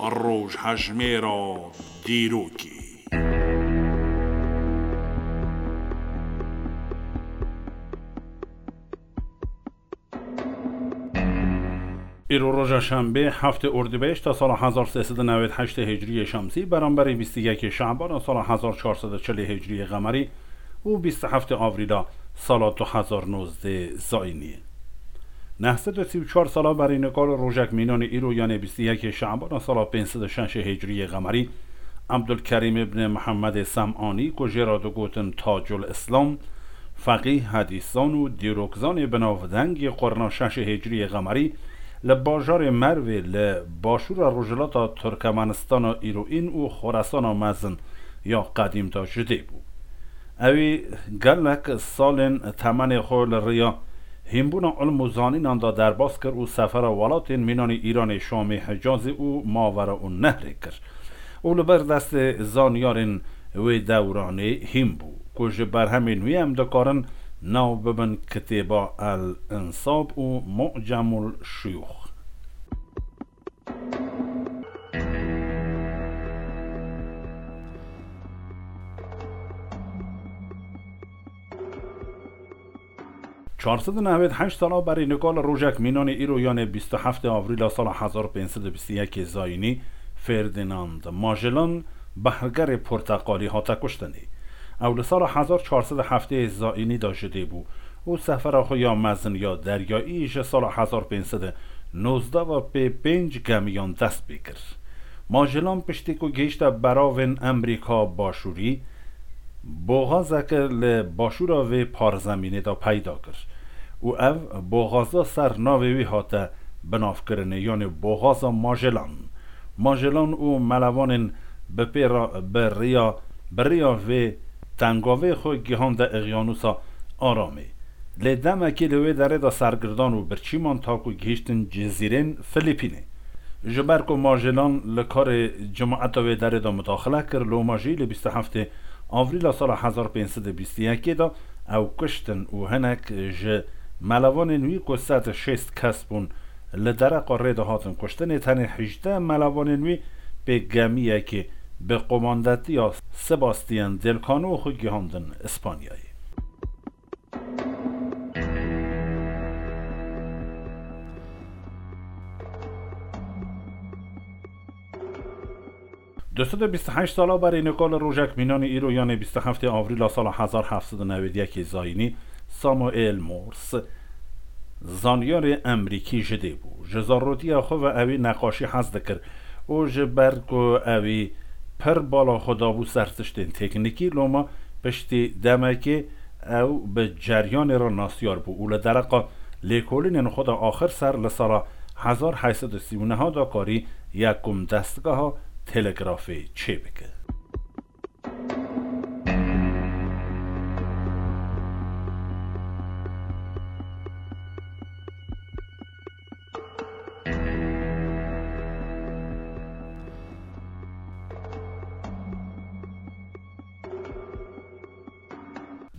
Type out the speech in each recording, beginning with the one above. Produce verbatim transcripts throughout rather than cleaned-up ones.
Rojhejmêra dîrokê. Îro roja şembê, heftê Ordîbehişta sala hezar sê sed û newêd heştê Hicriyê Şemsî, beramberî bîst û yekê Şebana sala hezar çar sed û çelê Hicriyê Qemerî û bîst û heftê Avrîla sala du hezar nozdeh Zayînî. Neh sed û sî û çar sala berî nika li rojek mînanê îro, yanê bîst û yekê Şebana sala pênc sed û şeş Hicriyê Qemerî, Ebdulkerîm ibn Mihemedê Sem'anî, ku jê re digotin Tacul Îslam, feqîh, hedîszan û dîrokzanê binavdeng yê qurna şeş Hicriyê Qemerî, li bajarê Mervê li başûra rojhilata Turkmenistana îroîn û Xoresana Mezin ya qedîm de ji dê bû. Ewî gelek salên temenê xwe li riya hînbûna ilm û zanînan de derbas kir û sefera welatên mînanî Îranê, Şamê, Hicazê û Mavera û Nehrê kir û li ber destê zanyarên wê dewranê hîn bû, ku ji berhemên wî em dikarin nav bibin kitêba El Însab û Mu'cemul Şuyûx. Çar sed û newêd heşt sala berî nika li rojek mînanê îro, yanê bîst û heftê Avrîla sala hezar pênc sed û bîst û yekê Zayînî, Ferdinand Magellan, behrgerê porteqalî, hate kuştinê. Ew li sala hezar çar sed û heftê Zayînî de ji dê bû û sefera xwe ya mezin ya deryayî ji sala hezar pênc sed û nozdeh ve pê pênc gemiyan dest pê kir. Magellan piştî ku gihişte beravên Emerîka Başûrî, boxazeke li başûra vê parzemînê de peyda kir û ev boxaza ser navê wî hate binavkirinê, yanê boxaza Magellan. Magellan û melevanên bi pê re bi riya, bi riya vê tengavê xwe gihande Eqyanûsa Aramê. Lê demekê li wê derê de sergirdan û birçî man ta ku gihîştin cizîrên Filîpînê. Ji ber ku Magellan li karê cimaeta wê derê de mudaxile kir, loma jî li bîst û heftê Avrîla sala hezar pênc sed û bîst û yekê de ew kuştin û hinek ji melevanên wî, ku sed û şêst kes bûn, li dereqa rê de hatin kuştinê. Tenê hejdeh melevanên wî pê gemiyekê bi qomandetiya Sebastian Del Cano xwe gihandin Îspanyayê. Du sed û bîst û heşt sala berê nika li rojek mînanê îro, yanê bîst û heftê Avrîla sala hezar heft sed û newêd yekê Zayînî, Samuel Morse, zanyarê Emerîkî ji dê bû. Ji zarotiya xwe ve ewî neqaşî hez dikir û ji ber ku ewî pir bala xwe dabû ser tiştên teknîkî, loma piştî demekê ew bi ceryanê re nasyar bû û li dereqa lêkolînên xwe de axir ser li sala hezar heyt sed û sî û neh de karî yekum destgeha telegrafê çêbike.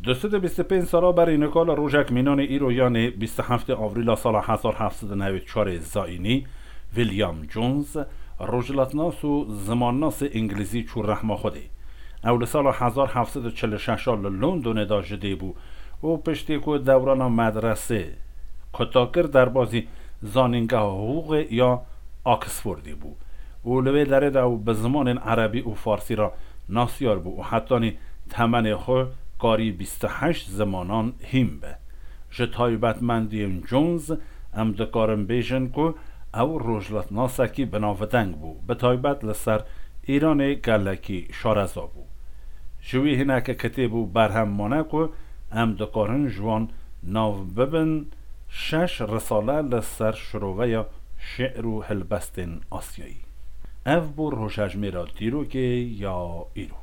Du sed û bîst û pênc sala berî nika li rojek mînanê îro, yanê bîst û heftê Avrîla sala hezar heft sed û newêd çarê Zayînî, William Jones, rojhilatnas û zimannasê îngilîzî çû rehma Xwedê. Ew li sala hezar heft sed û çil û şeş a li Londonê de ji dê bû û piştî ku dewrana medresê kuta kir, derbazî zanîngeha hiqûqê ya Oxfordê bû û li wê derê de ew bi zimanên erebî û farsî re nasyar bû û hetanî temenê xwe karî bîst û heşt zimanan hîn be. Ji taybetmendiyên Jones em dikarin bêjin ku ew rojhilatnasekî binavdeng bû, bi taybet li ser Îranê gelekî şareza bû. Ji wî hineke kitêb û berhem mane ku em dikarin ji wan nav bibin şeş risale li ser şiroveya şi'r û helbestên Asyayî. Ev bû rojhejmêra dîrokê ya îro.